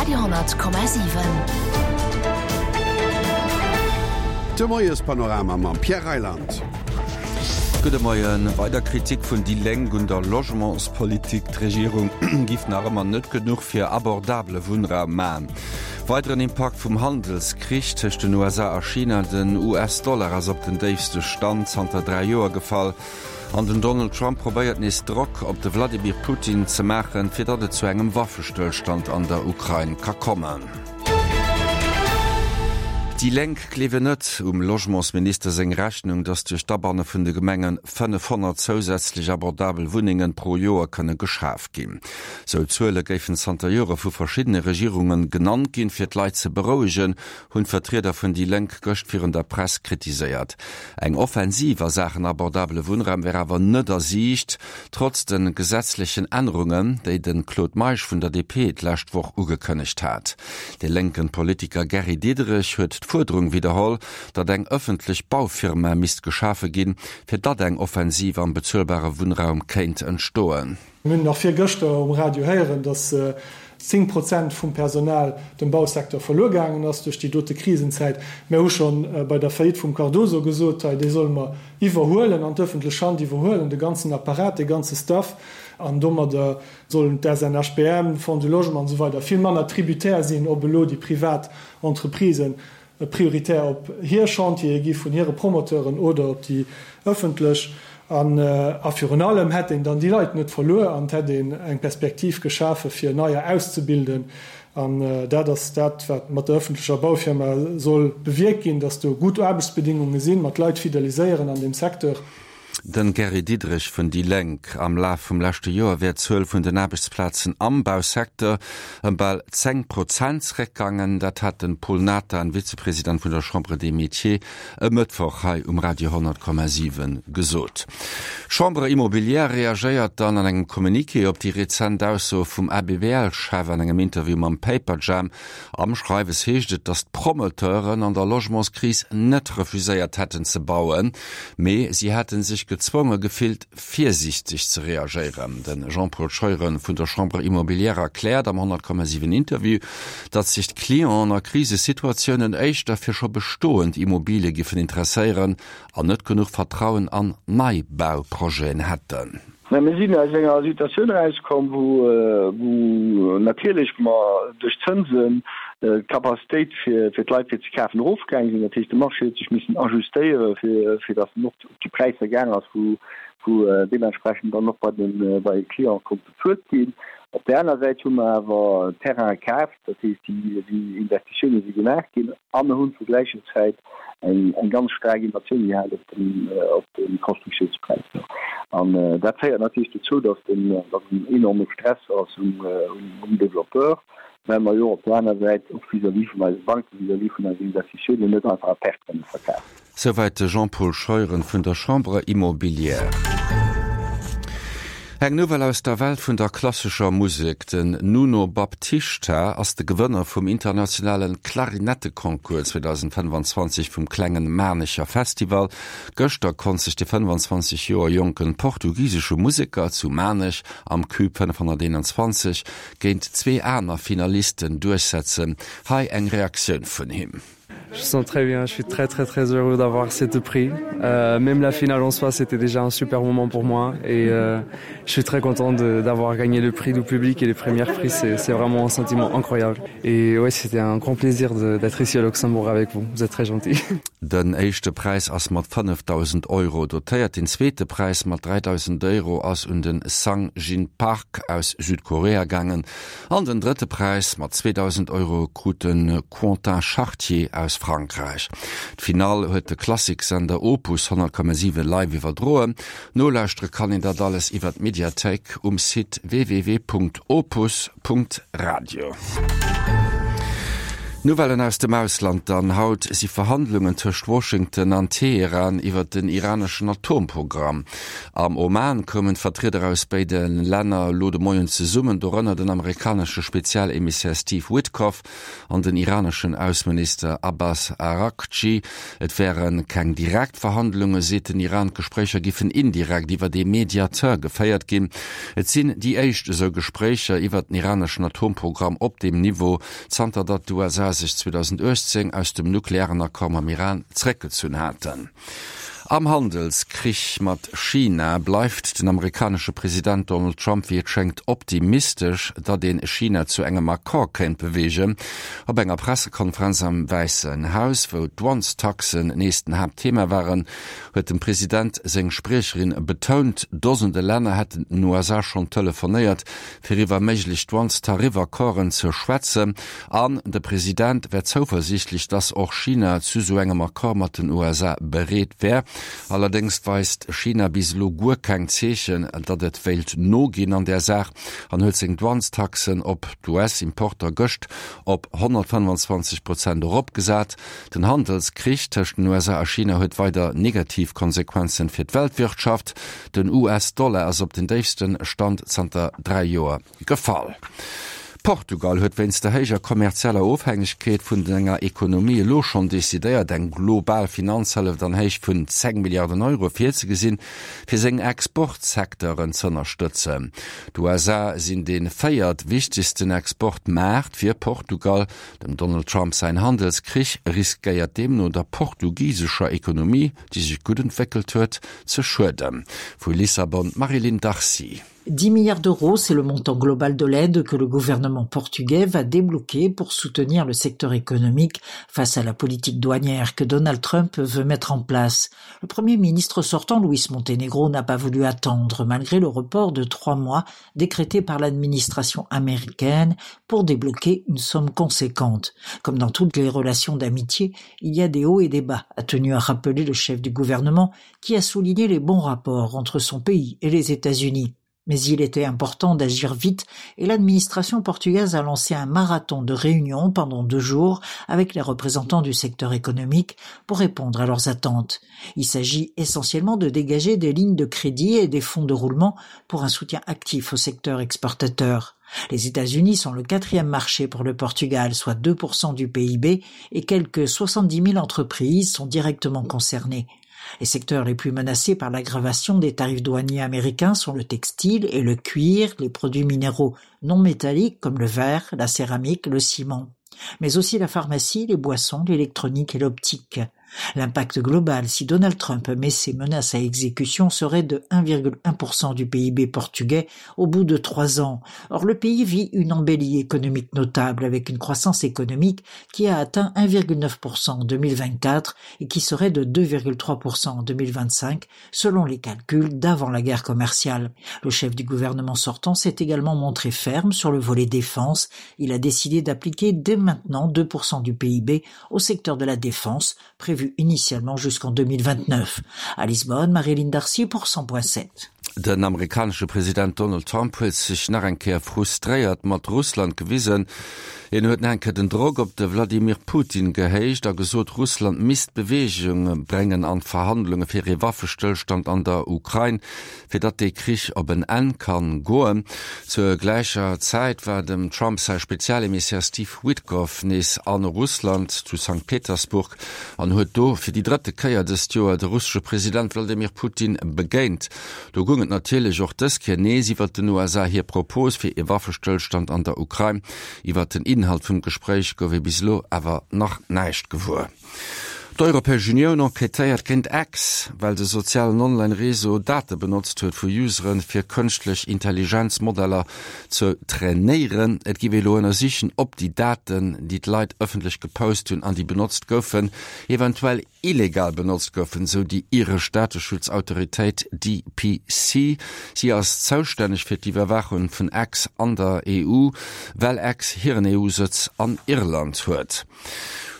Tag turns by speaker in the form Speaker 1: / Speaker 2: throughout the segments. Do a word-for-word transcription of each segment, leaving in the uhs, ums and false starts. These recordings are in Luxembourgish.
Speaker 1: Radio honnert Komma siwen.
Speaker 2: De Moiespanorama mam Pierre Reyland.
Speaker 3: Gudde Moien. Weider Kritik vun déi Lénk un der Logementspolitik, D'Regierung giff nach ëmmer net genuch fir abordabele Wunnraum man. Weideren Impakt vum Handelskrich tëscht den U S A a China, Den U S-Dollar ass op den déifste Stand zanter dräi Joer gefall. An den Donald Trump probéiert nees Drock op de Wladimir Putin ze maachen, fir datt et zu engem Waffestëllstand an der Ukrain ka kommen. Déi Lénk gleewen net um Logementsminister seng Rechnung, datt duerch d'Abanne vun de Gemenge fënnefhonnert zousätzlech abordabel Wunnengen pro Joer kënne geschaf ginn. Sou Zuele géifen zanter Jore vu verschiddene Regierunge genannt ginn, fir d'Leit ze berouegen, hunn d'Vertrieder vun déi Lénk gëscht virun der Press kritiséiert. Eng Offensiv a Saachen abordabele Wunnraum wär awer net a Siicht, trotz de gesetzlechen Ännerungen, déi de Claude Meisch vun der D P d'lescht Woch ugekënnegt hat. De lénken Politiker Gary Diderich huet d'Fuerderung widderholl, datt eng ëffentlech Baufirma misst geschafe ginn, fir datt eng Offensiv am bezuelbare Wunnraum kéint entstoen.
Speaker 4: Mir hunn nach virgëschter um Radio héieren, datt zéng Prozent vum Personal dem Bausecteur verluer gaangen ass duerch déi dote Krisenzäit. Mir hu schonn bei der Faillite vum Cardoso gesot, hei, déi solle mer iwwerhuelen, an d'ëffentlech Hand iwwerhuelen, de ganzen Apparat, de ganze Staff, an domadder sollen d'S N H B M, Fonds du Logement an esou weider vill manner tributaire sinn, ob elo déi privat Entreprisen prioritär op hir Chantiere gi vun hire Promoteuren oder op déi ëffentlech. An, a virun allem hätt een dann déi Leit net verluer an hätt een eng Perspektiv geschafe fir neier auszebilden. An dat ass dat, wat mat der ëffentlecher Baufirma soll bewierkt ginn, dass do gutt Aarbechtsbedingunge sinn, mat Leit fideliséieren an dem Secteur.
Speaker 3: Den Gary Diderich vun déi Lénk. Am Laf vum leschte Joer wär d'Zuel vun den Aarbechtsplazen am Bausecteur ëm bal zéng Prozent zeréckgaangen. Dat hat den Paul Nathan, Vizepresident vun der Chambre des Métiers, e Mëttwoch hei um Radio honnert Komma siwen gesot. D'Chambre Immobilière reagéiert dann an engem Communiqué op déi rezent Ausso vum A B B L-Chef an engem Interview mam Paperjam. Am Schreiwes heescht et, datt d'Promoteuren an der Logementskris net refuséiert hätten ze bauen, mee si hätten sech gezwonge gefillt, virsiichteg ze reagéieren. Den Jean-Paul Scheuren vun der Chambre Immobilière erkläert am honnert Komma siwen Interview, datt sich d'Clienten a Krisesituatiounen éischter fir scho bestoend Immobilie giffen interesséieren an net genuch Vertrauen an Neibauprojeten hätten.
Speaker 5: Na, mir sinn aus enger Situatioun rauskomm, wou, äh, wou natierlech mer duerch Zinsen, äh, d'Kapazitéit fir, fir d'Leit fir ze kafen erofgaangen sinn. Dat heescht, de Marché huet sech missen ajustéiere fir, fir datt en och op déi Präisser gaang ass, wou, wou, äh, deementsprechend dann och bei den, äh, bei den Clienten konnt bezuelt ginn. Op der anderen Seite hu mer awer Terrain gekaaft, dat heescht, déi, déi Investitiounen si gemaach ginn an mir hunn zur gleichen Zäit eng, eng ganz stark Inflation gehabt op den, äh, op den Konstruktiounspräisser. An, äh, dat féiert natierlech dozou, dass den, dass en enorme Stress ass um, äh, um, um Développeur, well mer jo op der anderen Seite och vis-à-vis vun eise Banken, vis-à-vis vun eisen Investitiounen net einfach a Perte kënne verkafen.
Speaker 3: Soweit de Jean-Paul Scheuren vun der Chambre Immobilière. Eng Nouvelle aus der Welt vun der klassischer Musik. Den Nuno Baptista ass de Gewënner vum internationalen Klarinetteconcours zweitausendfënnefundzwanzig vum klengen Manecher Festival. Gëschter konnt sich de fënnfundzwanzig Joer jonken portugiesesche Musiker zu Manech am Cube fënnefhonnerteenundzwanzig géint zwee aner Finalisten durchsetzen. Hei eng Reaktioun vun him.
Speaker 6: Je sens très bien, je suis très très très heureux d'avoir ces deux prix. Euh, même la finale en soi, c'était déjà un super moment pour moi et, euh, je suis très content de, d'avoir gagné le prix du public et les premiers prix, c'est, c'est vraiment un sentiment incroyable. Et ouais, c'était un grand plaisir de, d'être ici à Luxembourg avec vous, vous êtes très gentils.
Speaker 3: Den éischte Preis ass mat fënnefdausend Euro dotéiert, den zweete Preis mat dräidausend Euro ass un den Sang Jin Park aus Südkorea gaangen an den drëtte Preis mat zweetausend Euro krut den Quentin Chartier aus Frankreich. D'Final huet de Klassiksender Opus honnert Komma siwen live iwwerdroen. Nolauschtere kann een dat alles iwwer d'Mediathéik um Site w w w punkt opus punkt radio. Nouvellen aus dem Ausland dann, Haut si Verhandlungen tëscht Washington an Teheran iwwer den iraneschen Atomprogramm. Am Oman koumen d'Vertrieder aus béide Länner elo de Moien zesummen, dorënner den amerikanesche Spezialemissär Steve Witkoff an den iraneschen Ausseminister Abbas Araghchi. Et wäre keng direkt Verhandlungen, seet den Iran, d'Gespréicher giffen indirekt iwwer ee Mediateur geféiert ginn. Et sinn déi éischt esou Gespréicher iwwer den iraneschen Atomprogramm op deem Niveau, zanter datt d'USA sech zweedausendachtzéng aus dem nuklearen Accord mam Iran zeréckgezunn haten. Am Handelskrich mat China bleift den amerikanesche President Donald Trump wéi et schéngt optimistesch, datt een China zu engem Accord kéint beweegen. Op enger Pressekonferenz am Wäissen Haus, wou d'Douanestaxen nees den Haaptthema waren, huet dem President seng Spriecherin betount, Dosende Länner hätten den U S A schonn telefonéiert, fir iwwer méiglech Douanes-Tariffaccorden ze schwätzen. An de President wär zouversiichtlech, datt och China zu sou engem Accord mat den U S A bereet wär. Allerdéngs weist China bis elo guer keng Zeechen, datt et wéilt noginn an där Saach an huet seng Douanestaxen op d'U S-Importer gëscht op honnertfënnefanzwanzeg Prozent eropgesat. Den Handelskrich tëscht den U S A a China huet weider negativ Konsequenzen fir d'Weltwirtschaft. Den U S-Dollar ass op den déifste Stand zanter dräi Joer gefall. Portugal huet wéinst der héijer kommerzieller Ofhängegkeet vun enger Ekonomie elo schonn decidéiert, eng global Finanzhëllef an Héicht vun zéng Milliarden Euro virzegesinn, fir seng Exportsecteuren z'ënnerstëtzen. D'U S A sinn dee véiert wichtegsten Exportmaart fir Portugal. Dem Donald Trump säin Handelskrich riskéiert deemno der portugisescher Ekonomie, déi sech gutt entwéckelt huet, ze schueden. Vu Lissabon d'Marie-Line Darcy.
Speaker 1: dix milliards d'euros, c'est le montant global de l'aide que le gouvernement portugais va débloquer pour soutenir le secteur économique face à la politique douanière que Donald Trump veut mettre en place. Le premier ministre sortant, Luis Montenegro, n'a pas voulu attendre malgré le report de trois mois décrété par l'administration américaine pour débloquer une somme conséquente. Comme dans toutes les relations d'amitié, il y a des hauts et des bas, a tenu à rappeler le chef du gouvernement qui a souligné les bons rapports entre son pays et les États-Unis. Mais il était important d'agir vite et l'administration portugaise a lancé un marathon de réunions pendant deux jours avec les représentants du secteur économique pour répondre à leurs attentes. Il s'agit essentiellement de dégager des lignes de crédit et des fonds de roulement pour un soutien actif au secteur exportateur. Les États-Unis sont le quatrième marché pour le Portugal, soit deux pour cent du P I B, et quelques soixante-dix mille entreprises sont directement concernées. Les secteurs les plus menacés par l'aggravation des tarifs douaniers américains sont le textile et le cuir, les produits minéraux non métalliques comme le verre, la céramique, le ciment, mais aussi la pharmacie, les boissons, l'électronique et l'optique. L'impact global, si Donald Trump met ses menaces à exécution, serait de un virgule un pour cent du P I B portugais au bout de trois ans. Or, le pays vit une embellie économique notable avec une croissance économique qui a atteint un virgule neuf pour cent en deux mille vingt-quatre et qui serait de deux virgule trois pour cent en deux mille vingt-cinq selon les calculs d'avant la guerre commerciale. Le chef du gouvernement sortant s'est également montré ferme sur le volet défense. Il a décidé d'appliquer dès maintenant deux pour cent du P I B au secteur de la défense, prévu initialement jusqu'en deux mille vingt-neuf. À Lisbonne, Marie-Line Darcy pour cent point sept.
Speaker 3: Den amerikanesche President Donald Trump huet sech nach eng Kéier frustréiert mat Russland gewisen. Hien huet nach eng Kéier den Drock op de Wladimir Putin gehéicht a gesot, Russland misst Beweegung bréngen an d'Verhandlunge fir ee Waffestëllstand an der Ukrain, fir datt dee Krich op en Enn kann goen. Zur gläicher Zäit war dem Trump säi Spezialemissär Steve Witkoff nees a Russland zu Sankt Petersburg an huet do fir déi drëtte Kéier dëst Joer de russesche President Wladimir Putin begéint. Do goung et natierlech och dës Kéier nees iwwer den U S A hir Propos fir e Waffestëllstand an der Ukrain. Iwwer den Inhalt vum Gespréich gouf ee bis elo awer nach näischt gewuer. D'Europäesch Unioun enquêtéiert géint X, well de sozialen Online-Réseau Date benotzt huet vu Useren, fir kënschtlech Intelligenz-Modeller ze trainéieren. Et géif ee elo ënnersichen, ob déi Daten, déi d'Leit ëffentlech gepost hunn an déi benotzt goufen, eventuell illegal benotzt goufen, sou déi iresch Dateschutzautoritéit D P C. Si ass zoustänneg fir d'Iwwerwaachung vun X an der E U, well X hiren E U-Sëtz an Irland huet.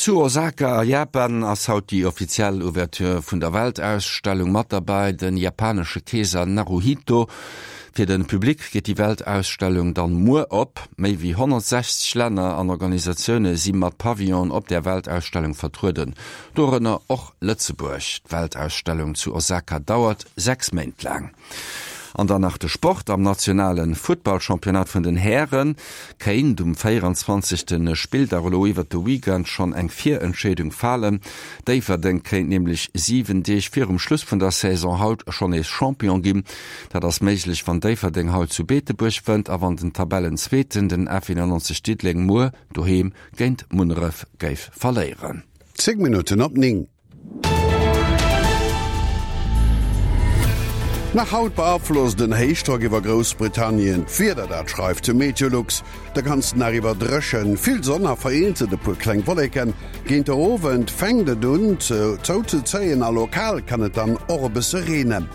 Speaker 3: Zu Osaka a Japan ass haut déi offiziell Ouverture vun der Weltausstellung. Mat derbäi de japanesche Keeser Naruhito. Fir de Public geet déi Weltausstellung dann muer op. Méi wéi honnertsechzeg Länner an Organisatioune si mat Pavillonen op där Weltausstellung vertrueden, dorënner och Lëtzebuerg. D'Weltausstellung zu Osaka dauert sechs Méint laang. An dann nach de Sport, Am nationale Futtballchampionnat vun den Häre kéint um véieranzwanzegste Spilldag elo iwwert de Weekend schonn eng Virentscheedung falen. Déifferdeng kéint nämlech siwen Deeg virum Schluss vun der Saison haut schonn nees Champion ginn. Dat ass méiglech, wann Déifferdeng haut zu Beetebuerg wënnt a wann den Tabellenzweeten, den F eenannonzeg Diddeleng, muer doheem géint Munneref géif verléieren.
Speaker 2: Zéng Minutten op néng. Nach haut beaflosst en Héichdrock iwwer Groussbritannien d'Wieder, dat schreift de Meteolux. De ganzen Dag iwwer dréchen, vill Sonn a vereenzelt e puer kleng Wolleken. Géint de Owend fänkt et un zouzezéien a lokal kann et dann och e bësse reenen.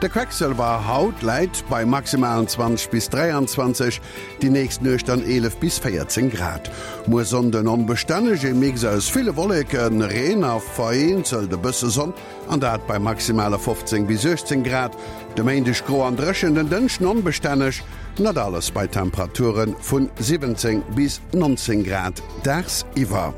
Speaker 2: De Quecksëlwer haut läit bei maximalen zwanzeg bis dräianzwanzeg, déi nächst Nuecht dann eelef bis véierzéng Grad. Muer Sonnden onbestänneg, e Mix aus ville Wolleken, Reen a vereenzelt e bësse Sonn. An dat bei maximale fofzéng bis uechtzéng Grad. De Méindeg gro an dréchen, den Dënschden onbestänneg, dat alles bei Temperature vu siwwenzéng bis nonzéng Grad dagsiwwer.